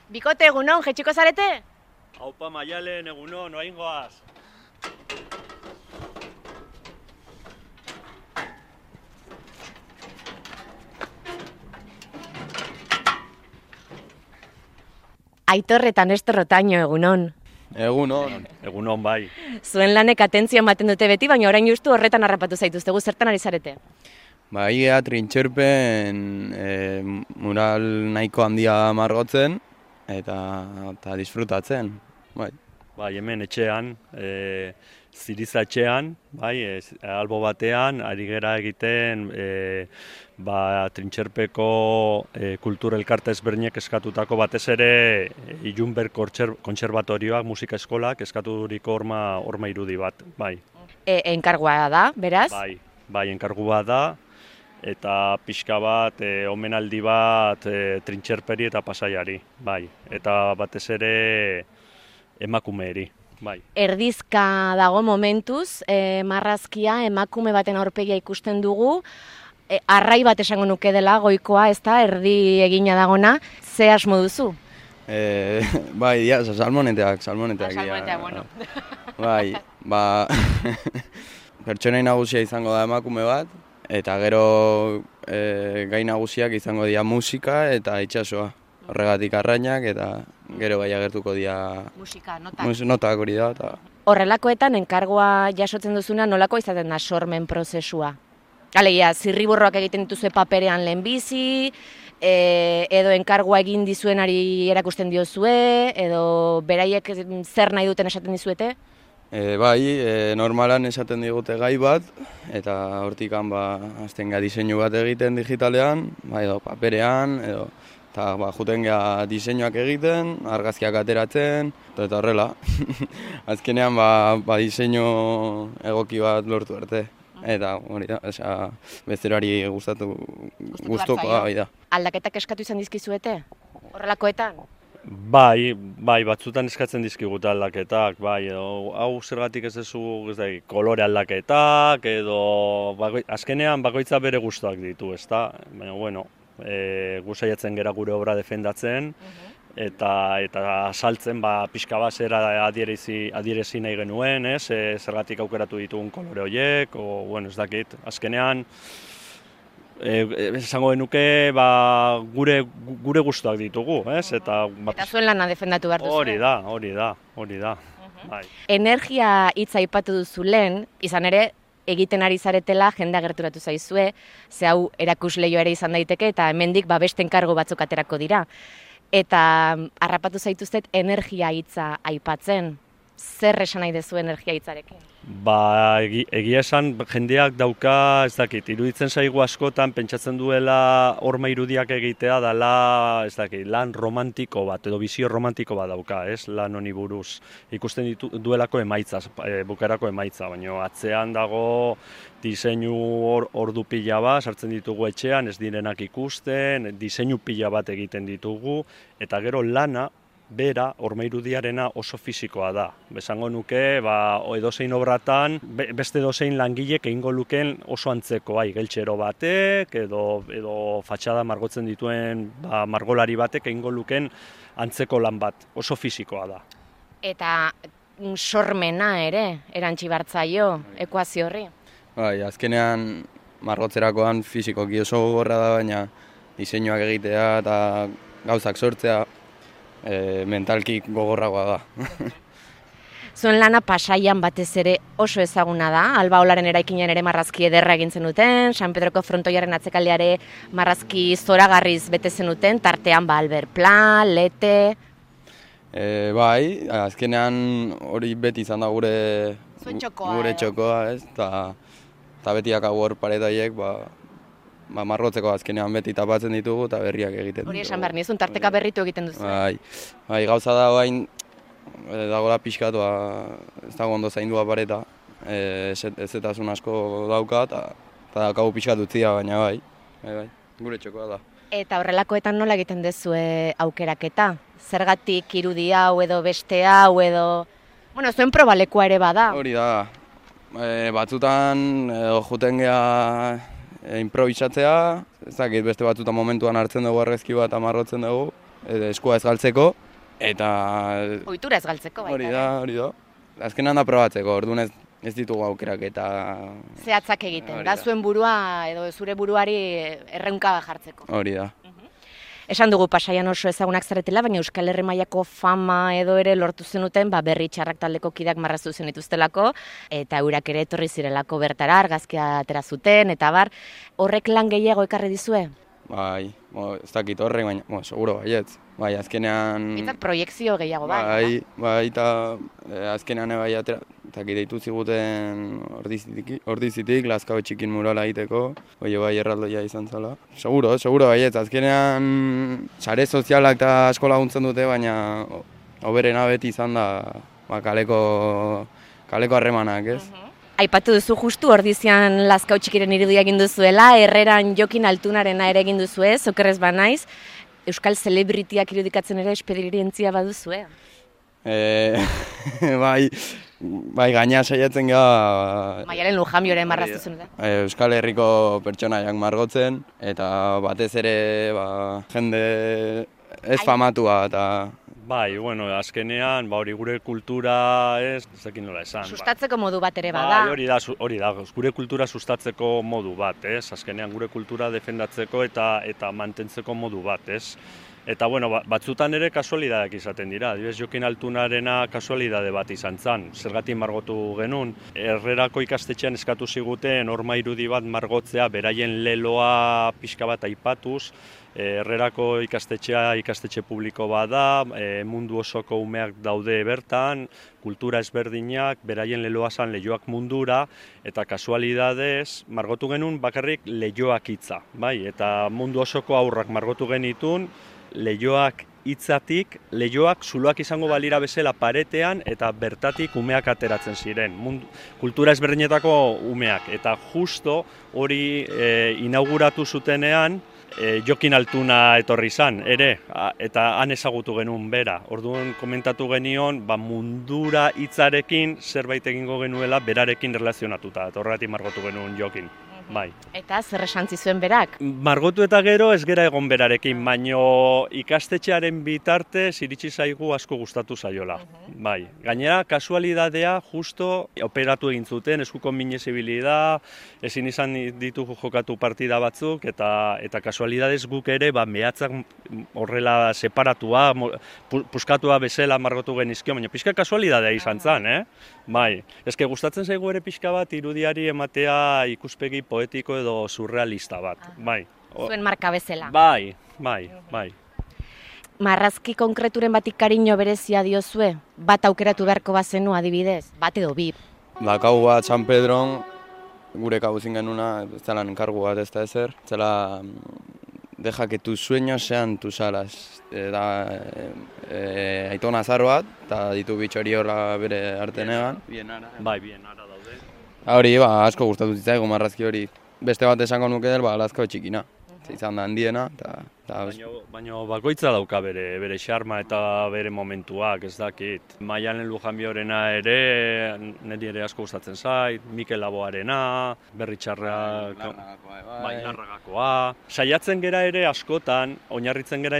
Bikote, egunon, jetxiko zarete? Haupa Maialen, egunon, oain goaz. Aitor eta Nestor Otaño, egunon. Egunon. Egunon bai. Zuen lanek atentzioa ematen dute beti, baina orain justu horretan harrapatu zaituztegu, zertan ari zarete? Ba, igea Trintxerpen mural nahiko handia margotzen eta disfrutatzen. Bai. Bai, hemen etxean, Ziriza etxean, bai, albo batean, ari gera egiten Trintxerpeko kultura elkarte ezberdinek eskatutako batez ere Ilunberg kontserbatorioak, musika eskolak eskaturiko horma irudi bat, bai. Enkargua da, beraz? Bai, enkargua da, eta pixka bat, omenaldi bat Trintxerperi eta Pasaiari, bai. Eta batez ere emakumeeri. Bai. Erdizka dago momentuz, marrazkia emakume baten aurpegia ikusten dugu, arrai bat esango nuke dela goikoa, ez da, erdi egina dagona, ze asmo duzu? Bai, dia, salmoneteak. Salmoneteak, bueno. Bai, pertsonai nagusia izango da emakume bat, eta gero gai nagusiak izango dira musika eta itsasoa. Horregatik arrainak eta gero bai agertuko dira musika, notak. Notak hori da. Horrelakoetan enkargoa jasotzen duzuna nolako izaten da sormen prozesua? Alegia, zirriborroak egiten dituzue paperean lehenbizi, edo enkargoa egin dizuenari erakusten diozue, edo beraiek zer nahi duten esaten dizuete? Bai, normalan esaten digute gai bat, eta hortikan hasten ga diseinu bat egiten digitalean, edo paperean, eta juten geha diseinuak egiten, argazkiak ateratzen, eta horrela. Azkenean diseinu egoki bat lortu arte. Eta hori da, bezerari gustukoa da. Aldaketak eskatu izan dizkizuete? Horrelakoetan? Bai, batzutan eskatzen dizkigute aldaketak, bai, edo hau zergatik ez duzu kolore aldaketak, edo azkenean bakoitza bere gustuak ditu, ezta? Baina, bueno, gu saiatzen gera gure obra defendatzen, eta saltzen pixka bat zer adierezi nahi genuen, zergatik aukeratu ditugun kolore horiek, ez dakit, azkenean, esango genuke gure gustuak ditugu, eta zuen lana defendatu behar duzu. Hori da. Energia hitza aipatu duzu lehen, izan ere, egiten ari zaretela jendea gerturatu zaizue, ze hau erakusleio ere izan daiteke eta hemendik beste enkargu batzuk aterako dira. Eta harrapatu zaituztet energia hitza aipatzen. Zer esan nahi duzu energia hitzarekin? Egia esan jendeak dauka, ez dakit, iruditzen zaigu askotan pentsatzen duela horma irudiak egitea dela, ez dakit, lan romantiko bat, edo bizio romantiko bat dauka, lan honi buruz. Ikusten duelako emaitza, bukarako emaitza, baina atzean dago diseinu ordu pila bat, sartzen ditugu etxean, ez direnak ikusten, diseinu pila bat egiten ditugu, eta gero lana, bera, horma irudiarena oso fisikoa da. Besango nuke, edozein obratan, beste edozein langilek egingo lukeen oso antzeko, geltxero batek, edo fatxada margotzen dituen margolari batek egingo lukeen antzeko lan bat, oso fisikoa da. Eta sormena ere, erantzi bartzaio, ekuazio horri? Azkenean margotzerakoan fisikoki oso gogorra da, baina diseinuak egitea eta gauzak sortzea, mentalki gogorragoa da. Zuen lana Pasaian batez ere oso ezaguna da, Alba Olaren eraikinean ere marrazki ederra egin zenuten, San Pedroko frontoiaren atzekaldeare marrazki zoragarriz bete zenuten, tartean Albert Pla, Lete... Bai, azkenean hori beti izan da gure txokoa, eta betiak hor paretaiek, marrotzeko azkenean beti tapatzen ditugu eta berriak egiten ditugu. Hori esan behar nizun, tarteka berritu egiten duzu. Bai, gauza da bain, dagoela pixkatu, ez dago ondo zaindua pareta, ezetasun asko dauka, eta daukagu pixkatu utzia, baina bai, gure txokoa da. Eta horrelakoetan nola egiten duzue aukeraketa? Zergatik irudi hau edo beste hau edo... Bueno, zuen probalekua ere bada. Hori da, batzutan juten geha improvisatzea, ez dakit beste batzutan momentuan hartzen dugu argazki bat amarrotzen dugu, eskua ez galtzeko, eta Ohitura ez galtzeko baita. hori da. Azkenan da probatzeko, orduan ez ditugu aukerak eta... Zehatzak egiten, Hori da da. zuen burua edo zure buruari erreunka jartzeko. Hori da. Esan dugu Pasaian oso ezagunak zaretela, baina Euskal Herri mailako fama edo ere lortu zenuten, berri txarrak taldeko kideak marraztu zenituztelako, eta eurak ere etorri zirelako bertara, argazkia atera zuten, eta horrek lan gehiago ekarri dizue? Bai, ez dakit horrek, baina, seguro baietz. Bai, azkenean... Bintzat proiekzio gehiago Bai, eta azkenean bai atera, eta deitu ziguten ordizitik, Lazkao txikin murala egiteko, bai erraldoia izan zela. Seguro baietz, azkenean sare sozialak eta asko laguntzen dute, baina hoberena beti izan da kaleko harremanak, ez? Aipatu duzu justu Ordizian Lazkao txikiren irudia egin duzuela, Herreran Jokin Altunarena ere egin duzue, okerrez banaiz, Euskal Celebrityak irudikatzen ere esperientzia baduzue? Bai, gaina saiatzen gara... Maialen Lujambioren marraztu zen, da? Euskal Herriko pertsonaiak margotzen, eta batez ere jende ez famatua eta... Bai, bueno, azkenean, hori gure kultura ez dakit nola esan. Sustatzeko modu bat ere bada. Bai, hori da, gure kultura sustatzeko modu bat, ez? Azkenean gure kultura defendatzeko eta mantentzeko modu bat, ez? Eta, bueno, batzutan ere kasualidadeak izaten dira. Adibidez, Jokin Altunarena kasualidade bat izan zen. Zergatik margotu genuen. Herrerako ikastetxean eskatu ziguten horma irudi bat margotzea, beraien leloa pixka bat aipatuz. Herrerako ikastetxe publiko bada, mundu osoko umeak daude bertan, kultura ezberdinak, beraien leloa zan leioak mundura, eta kasualidadez margotu genuen bakarrik leioak hitza, bai? Eta mundu osoko aurrak margotu genitun, leioak hitzatik, leioak zuloak izango balira bezala paretean eta bertatik umeak ateratzen ziren. Kultura ezberdinetako umeak. Eta justo hori inauguratu zutenean, Jokin Altuna etorri izan, ere, eta han ezagutu genuen bera. Orduan komentatu genion, mundura hitzarekin zerbait egingo genuela berarekin relazionatuta, eta horregatik margotu genuen Jokin. Bai. Eta zer esantzi zuen berak? Margotu eta gero ez gera egon berarekin, baino ikastetxearen bitartez iritsi zaigu asko gustatu zaiola. Bai. Gainera, kasualidadea justo operatu egin zuten, eskuko minezibilida, ezin izan ditugu jokatu partida batzuk, eta kasualidadez guk ere mehatzak horrela separatua, puskatua bezala margotu genizkio, baina pixka kasualidadea izan zen, Bai. Ezke gustatzen zaigu ere pixka bat irudiari ematea ikuspegi poetiko edo surrealista bat, bai. Zuen marka bezala. Bai. Marrazki konkreturen batik kariño berezia diozue? Bat aukeratu beharko bazenu adibidez? Bat edo bi? Kau bat San Pedron, gure kabuzin genuna, ez zela enkargu bat ez da ezer, zela deja que tus sueños sean tus alas. Aitona azar bat, eta ditu bitxori horra bere artenegan. Bai, bienara daude. Hori, asko gustatu zitzaigu marrazki hori. Beste bat esango nuke del, Lazkao txikina. Izan da handiena, Baina bakoitza dauka bere xarma eta bere momentuak, ez dakit. Maialen Lujanbiorena ere, niri ere asko gustatzen zait, Mikel Laboarena, Berritxarrak, bai, Larragakoa. Saiatzen gera ere askotan, oinarritzen gera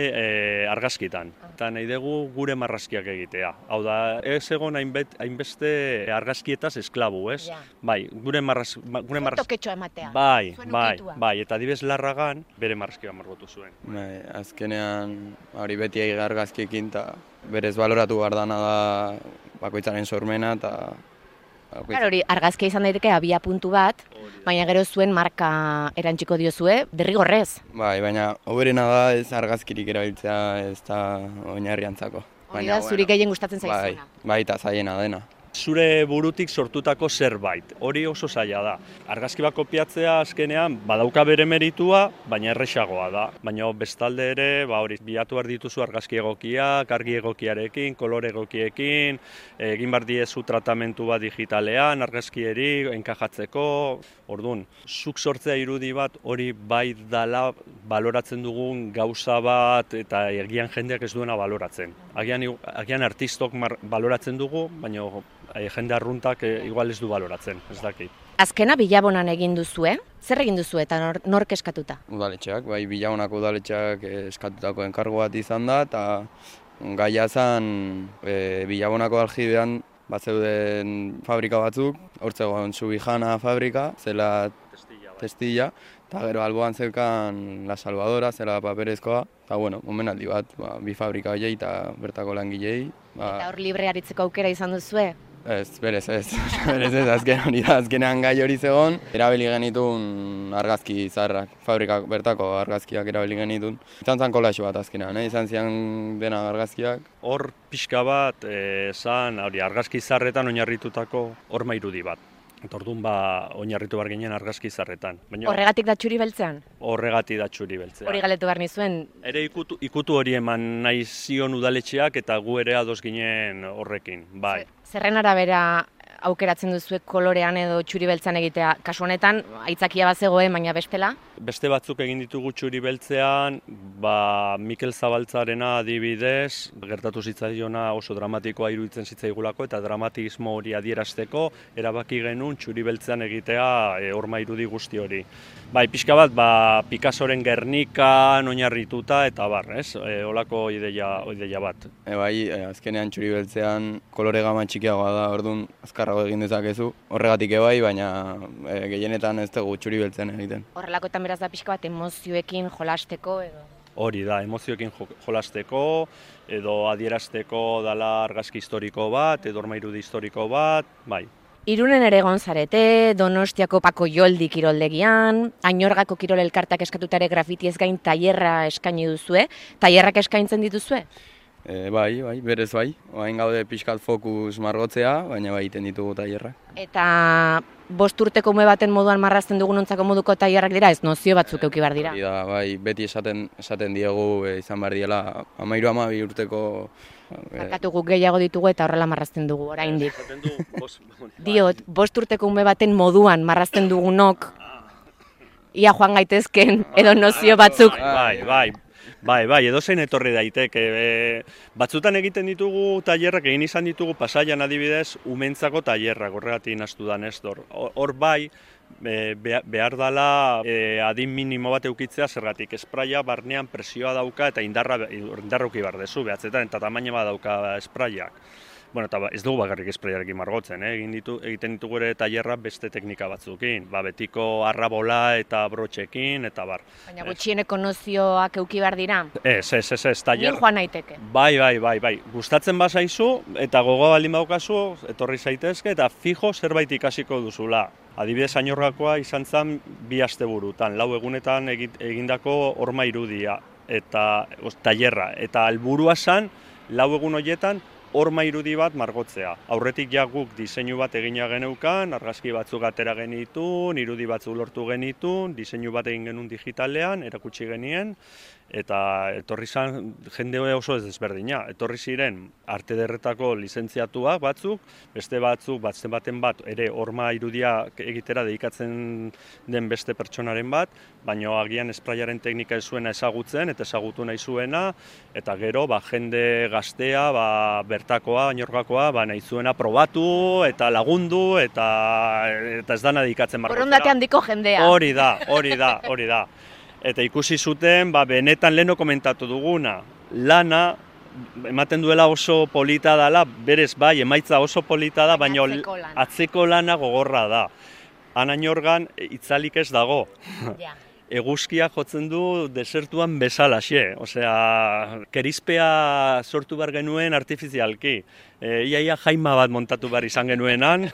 argazkitan. Eta nahi dugu gure marrazkiak egitea. Hau da, ez egon hainbeste argazkietaz esklabu, ez? Bai, gure marrazkiak... Toketxoa ematea. Bai, eta adibez Larragan bere marrazkia margotu zuen. Azkenean, hori beti argazkiekin, eta berez baloratu behar dana da bakoitzaren sormena, eta... Hori, argazkia izan daiteke abia puntu bat, baina gero zuen marka erantziko diozue, derrigorrez. Bai, baina hoberena da ez argazkirik erabiltzea ez da oinarriantzako. Hori da, zuri gehien gustatzen zaizuna. Bai, eta zaiena dena. Zure burutik sortutako zerbait, hori oso zaila da. Argazki bat kopiatzea azkenean badauka bere meritua, baina erresagoa da. Baina bestalde ere, hori bilatu behar dituzu argazki egokiak, argi egokiarekin, kolore egokiekin, egin behar diezu tratamentu bat digitalean, argazkieri, enkajatzeko. Orduan, zuk sortzea irudi bat hori bai dala baloratzen dugun gauza bat eta agian jendeak ez duena baloratzen. Agian artistok baloratzen dugu, baina jende arruntak igual ez du baloratzen, ez dakit. Azkena Bilabonan egin duzue, zer egin duzu eta nork eskatuta? Udaletxeak, bai, Bilabonako udaletxeak eskatutako enkargo bat izan da, eta gaia zen Bilabonako aljibean batzeuden fabrika batzuk, hortzegoen Subijana fabrika, zela testilla, eta gero alboan zeukan La Salvadora, zela paperezkoa, eta bueno, omenaldi bat, bi fabrika horiei eta bertako langilei. Eta hor libre aritzeko aukera izan duzue? Ez, berez ez, azken hori da, azkenean gai hori zegoen, erabili genitun argazki zaharrak, fabrikak bertako argazkiak erabili genitun. Izan zen kolaxo bat azkenean, izan zian dena argazkiak. Hor pixka bat, zan argazki zaharretan oinarritutako horma irudi bat. Eta orduan oinarritu behar ginen argazki zaharretan. Horregatik da txuri beltzean? Horregatik da txuri beltzean. Hori galetu behar nizuen? Ere ikutu hori eman nahi zion udaletxeak eta gu ere ados ginen horrekin, bai. Zerren arabera aukeratzen duzuek kolorean edo txuri beltzean egitea? Kasu honetan, aitzakia bat zegoen, baina bestela? Beste batzuk egin ditugu txuri beltzean, Mikel Zabaltzarena adibidez, gertatu zitzaiona oso dramatikoa iruditzen zitzaigulako eta dramatismo hori adierazteko erabaki genuen txuri beltzean egitea horma irudi guzti hori. Bai, pixka bat, Picassoren Gernikan oinarrituta eta bar, ez? Olako ideia bat. Bai, azkenean txuri beltzean kolore gama txikiagoa da, orduan azkarrago egin dezakezu. Horregatik bai, baina gehienetan ez dugu txuri beltzean egiten. Horrelakoetan beraz da pixka bat emozioekin jolasteko edo? Hori da, emozioekin jolasteko edo adierazteko dala argazki historiko bat, edo horma irudi historiko bat, bai. Irunen ere egon zarete, Donostiako Pako Joldi kiroldegian, Añorgako kirol elkartak eskatuta ere grafiti ez gain tailerra eskaini duzue, tailerrak eskaintzen dituzue? Bai, berez bai. Oain gaude pixkat fokus margotzea, baina bai iten ditugu tailerrak. Eta 5 urteko ume baten moduan marrazten dugunontzako moduko tailerrak dira, ez nozio batzuk eduki behar dira? Bai, beti esaten diegu izan behar diela 13-12 urteko. Barkatu guk gehiago ditugu eta horrela marrazten dugu oraindik. Diot, 5 urteko ume baten moduan marrazten dugunok, ia joan gaitezken edo nozio batzuk. Bai, edozein etorri daiteke. Batzutan egiten ditugu tailerrak, egin izan ditugu Pasaian adibidez, umentzako tailerrak, horregatik nahastu da Nestor. Hor bai, behar dela adin minimo bat eukitzea, zergatik espraia barnean presioa dauka eta indarruki behar dezu, behatzetan eta tamaina bat dauka espraiak. Bueno, eta ez dugu bakarrik espraiarekin margotzen, egiten ditugu ere tailerra beste teknika batzukin, betiko arrabola eta brotxekin, eta bar. Baina gutxieneko nozioak euki behar dira? Ez, tailer. Ni joan naiteke? Bai. Gustatzen bazaizu eta gogo baldin badaukazu, etorri zaitezke eta fijo zerbait ikasiko duzula. Adibidez, Añorgakoa izan zen 2 asteburutan, 4 egunetan egindako horma irudia eta tailerra. Eta helburua zen 4 egun horietan horma irudi bat margotzea. Aurretik ja guk diseinu bat egina geneukan, argazki batzuk atera genitun, irudi batzuk lortu genitun, diseinu bat egin genuen digitalean, erakutsi genien, eta etorri zen jende oso ez desberdina. Etorri ziren arte derretako lizentziatuak batzuk, beste baten bat ere horma irudia egitera dedikatzen den beste pertsonaren bat, baina agian espraiaren teknika ez zuena ezagutzen eta ezagutu nahi zuena, eta gero jende gaztea, bertakoa, Añorgakoa, nahi zuena probatu eta lagundu eta ez dana dedikatzen margotzera. Borondate handiko jendea. Hori da. Eta ikusi zuten, benetan leheno komentatu duguna, lana ematen duela oso polita dela, berez bai, emaitza oso polita da, baina atzeko lana gogorra da. Han Añorgan itzalik ez dago. Eguzkia jotzen du desertuan bezalaxe, osea, kerizpea sortu behar genuen artifizialki. Iaia jaima bat montatu behar izan genuenan,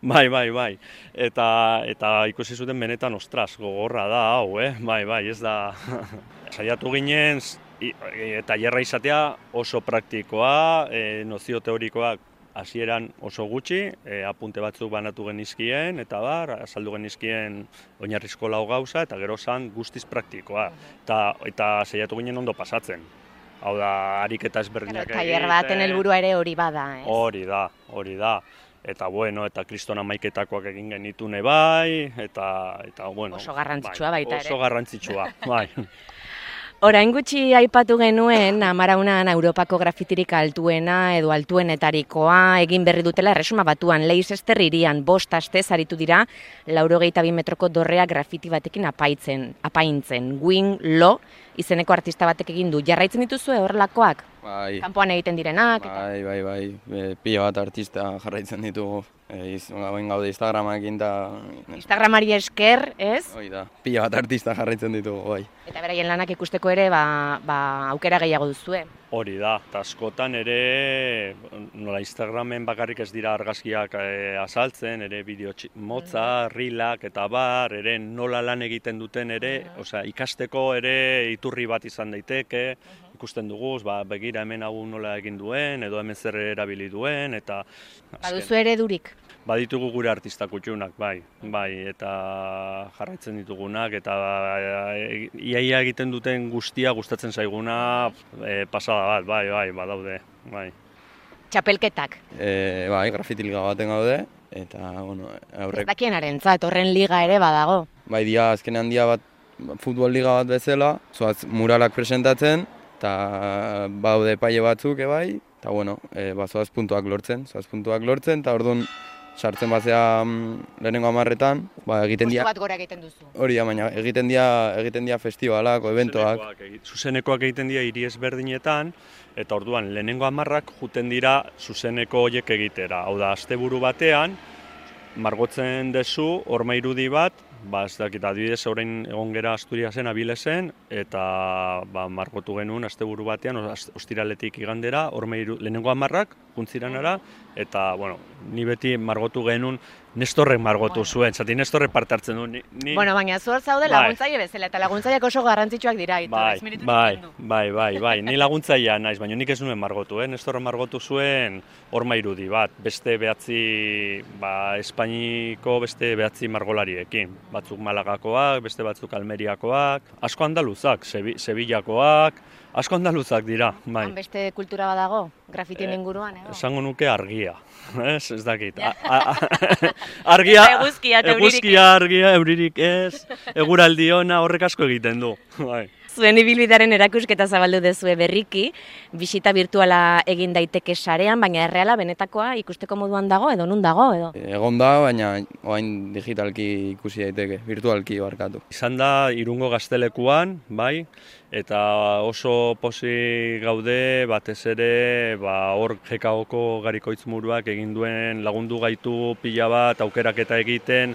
bai. Eta ikusi zuten benetan, ostras, gogorra da hau, bai, ez da. Saiatu ginen, tailerra izatea oso praktikoa, nozio teorikoak hasieran oso gutxi, apunte batzuk banatu genizkien, eta azaldu genizkien oinarrizko lau gauza, eta gero zan guztiz praktikoa. Eta saiatu ginen ondo pasatzen. Hau da, ariketa ezberdinak egiten. Tailer baten helburua ere hori bada, ez? Hori da. Eta kriston hamaiketakoak egin genitune bai, eta bueno. Oso garrantzitsua baita ere. Oso garrantzitsua, bai. Orain gutxi aipatu genuen, Amaraunan Europako grafitirik altuena edo altuenetarikoa egin berri dutela Erresuma Batuan, Leicester hirian 5 astez aritu dira 82 metroko dorrea grafiti batekin apaintzen. Wing Lo izeneko artista batek egin du. Jarraitzen dituzue horrelakoak? Bai, Kanpoan egiten direnak? bai, pila bat artista jarraitzen ditugu. Gauen gaude Instagramakin eta... Instagramari esker, ez? Hoi da, pila bat artista jarraitzen ditugu, bai. Eta beraien lanak ikusteko ere, aukera gehiago duzue. Hori da, eta askotan ere, nola Instagramen bakarrik ez dira argazkiak azaltzen, ere bideo motza, rilak eta bar, ere nola lan egiten duten ere, osea, ikasteko ere iturri bat izan daiteke, ikusten dugu, begira hemen hau nola egin duen, edo hemen zer erabili duen, eta... Baduzu ere durik? Baditugu gure artista kutxunak, bai, eta jarraitzen ditugunak, eta iaia egiten duten guztia gustatzen zaiguna pasada bat, bai, badaude, bai. Txapelketak? Bai, grafiti liga baten gaude, eta, bueno, aurrek... Ez dakienarentzat, horren liga ere badago? Bai, azkenean dia bat, futbol liga bat bezala, zoaz muralak presentatzen, eta baude paile batzuk, bai, eta, bueno, zoaz puntuak lortzen, eta orduan, sartzen bazea lehenengo 10etan, egiten dira... Postu bat gora egiten duzu. Hori da, baina egiten dira festivalak, eventoak. Zuzenekoak egiten dira hiri ezberdinetan, eta orduan lehenengo 10ak juten dira zuzeneko horiek egitera. Hau da, asteburu batean, margotzen dezu, horma irudi bat, ez dakit, adibidez, orain egon gera Asturiasen, Abilesen, eta margotu genuen asteburu batean, ostiraletik igandera, lehenengo 10ak, juntziranara, eta, bueno, ni beti margotu genuen, Nestorrek margotu zuen, zati Nestorrek parte hartzen du. Bueno, baina zuhor zaude laguntzaile bezala, eta laguntzaileak oso garrantzitsuak dira. Bai, ni laguntzailea naiz, baina nik ez nuen margotu, Nestorrek margotu zuen horma irudi bat, beste Espainiko beste 9 margolariekin. Batzuk Malagakoak, beste batzuk Almeriakoak, asko andaluzak, Sevillakoak, asko andaluzak dira, bai. Han beste kultura badago, grafitien inguruan, edo? Esango nuke argia, ez dakit. Argia, argia, euririk ez, eguraldi ona horrek asko egiten du, bai. Zuen ibilbidearen erakusketa zabaldu dezue berriki, bisita virtuala egin daiteke sarean, baina erreala benetakoa ikusteko moduan dago edo nun dago edo? Egon da, baina orain digitalki ikusi daiteke, virtualki barkatu. Izan da Irungo Gaztelekuan, bai, eta oso pozik gaude batez ere hor GKOko Garikoitz Muruak egin duen lagundu gaitu pila bat aukeraketa egiten,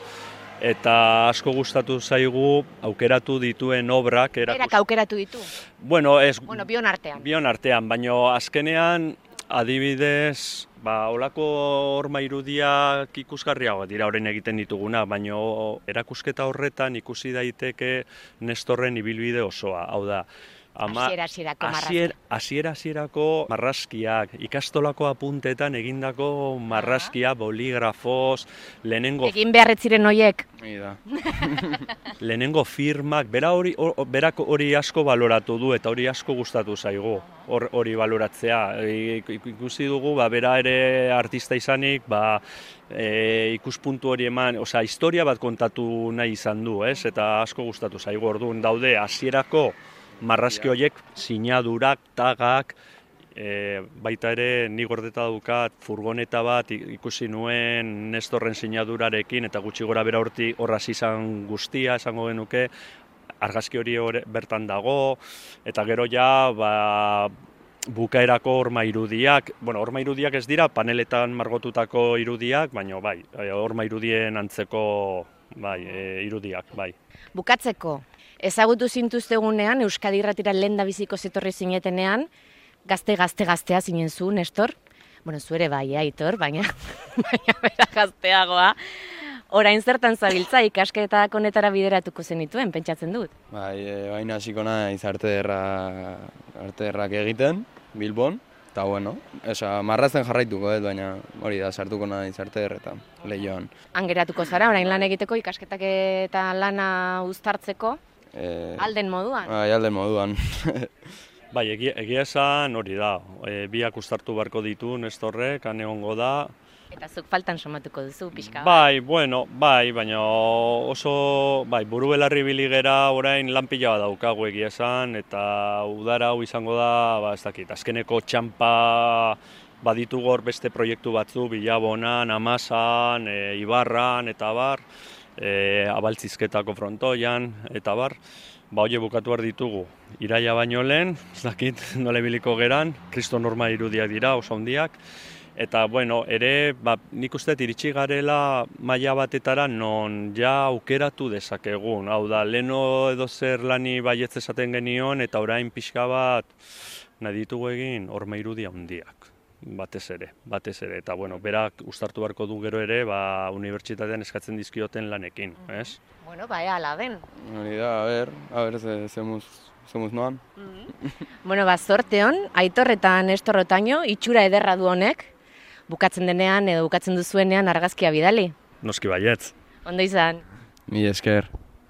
eta asko gustatu zaigu aukeratu dituen obrak. Berak aukeratu ditu? Bueno, bion artean. Bion artean, baina azkenean adibidez, olako horma irudiak ikusgarriago dira orain egiten dituguna, baina erakusketa horretan ikusi daiteke Nestorren ibilbide osoa, hau da. Hasiera-hasierako marrazkiak, ikastolako apuntetan egindako marrazkia, boligrafoz, lehenengo... Egin beharretziren horiek. Lehenengo firmak, berak hori asko baloratu du eta hori asko gustatu zaigu, hori baloratzea. Ikusi dugu, bera ere artista izanik, ikuspuntu hori eman, historia bat kontatu nahi izan du, eta asko gustatu zaigu. Orduan daude hasierako marrazki horiek, sinadurak, tagak, baita ere nik gordeta daukat furgoneta bat ikusi nuen Nestorren sinadurarekin eta gutxi gora bera horraz izan guztia, esango genuke, argazki hori bertan dago, eta gero ja bukaerako horma irudiak, horma irudiak ez dira, paneletan margotutako irudiak, baina horma irudien antzeko irudiak, bai. Bukatzeko, ezagutu zintuztegunean, Euskadi Irratira lehendabiziko zetorri zinetenean, gaztea zinen zu, Nestor? Bueno, zu ere bai, Aitor, baina bera gazteagoa. Orain zertan zabiltza ikasketak honetara bideratuko zenituen, pentsatzen dut? Baina hasiko naiz arteerrak egiten, Bilbon, eta bueno, marrazten jarraituko, baina hori da, sartuko naiz arteerretan, Leioan. Han geratuko zara, orain lan egiteko, ikasketak eta lana uztartzeko, alden moduan? Alden moduan. Egia esan hori da, biak uztartu beharko ditu Nestorrek, han egongo da, Eta zuk faltan somatuko duzu, pixka bat. Bai, bueno, bai, baina oso, bai, buru belarri biligera orain lan pila bat daukagu egia esan, eta udara hau izango da, ba, ez dakit, azkeneko txampa baditugu hor beste proiektu batzu, Bilabonan, Amasan, Ibarran, eta bar, Abaltzizketako frontoian, eta bar, ba, hori bukatu behar ditugu. Iraila baino lehen, ez dakit, nola ibiliko geran, Kristo norma irudiak dira, oso handiak, eta, bueno, ere, ba, nik uste iritsi garela maila batetara non ja aukeratu dezakegun. Hau da, leno edo zer lani baietz esaten genion, eta orain pixka bat nahi ditugu egin horma irudia handiak. Batez ere. Eta, bueno, berak uztartu beharko du gero ere, ba, unibertsitatean eskatzen dizkioten lanekin, ez? Bueno, ba, ala den. Hori da, a ber, zemuz noan. Bueno, ba, zorte hon, Aitor eta Nestor Otaño, itxura ederra du honek, bukatzen denean edo bukatzen duzuenean argazkia bidali. Noski baietz. Ondo izan. Mila esker.